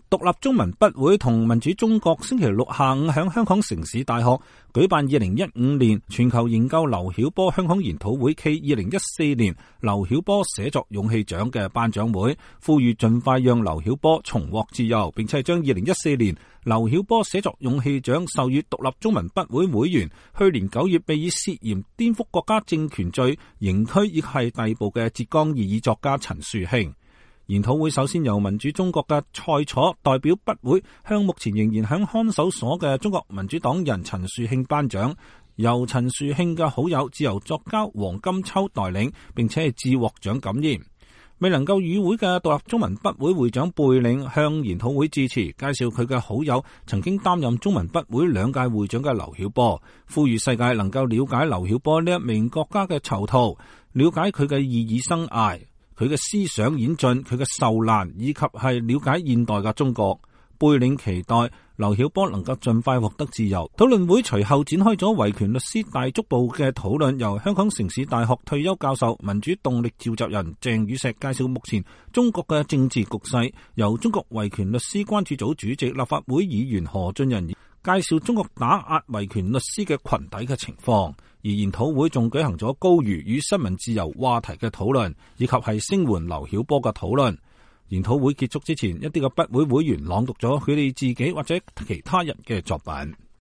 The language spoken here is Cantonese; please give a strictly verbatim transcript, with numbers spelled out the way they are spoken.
獨立中文筆會同民主中國星期六下午喺香港城市大學舉辦二零一五年全球研究劉曉波香港研討會暨二零一四年劉曉波寫作勇氣獎嘅頒獎會，呼籲盡快讓劉曉波重獲自由，並且將二零一四年劉曉波寫作勇氣獎授予獨立中文筆會會員，去年九月被以涉嫌顛覆國家政權罪刑拘亦係逮捕嘅浙江異議作家陳樹慶。研討會首先由民主中國嘅蔡楚代表筆會向目前仍然響看守所嘅中國民主黨人陳樹慶頒獎，由陳樹慶嘅好友自由作家黃金秋代領，並且係致獲獎感言。未能夠與會嘅獨立中文筆會會長貝領向研討會致辭，介紹佢嘅好友曾經擔任中文筆會兩屆會長嘅劉曉波，呼籲世界能夠了解劉曉波呢一名國家嘅囚徒，了解佢嘅異議生涯，佢嘅思想演進，佢嘅受難，以及係了解現代嘅中國。貝領期待劉曉波能夠盡快獲得自由。討論會隨後展開咗維權律師大足部嘅討論，由香港城市大學退休教授、民主動力召集人鄭宇碩介紹目前中國嘅政治局勢，由中國維權律師關注組主席、立法會議員何俊仁介紹中國打壓維權律師嘅群體嘅情況。而研討會仲舉行咗高瑜與新聞自由話題嘅討論，以及係聲援劉曉波嘅討論。研討會結束之前，一啲嘅筆會會員朗讀咗佢哋自己或者其他人嘅作品。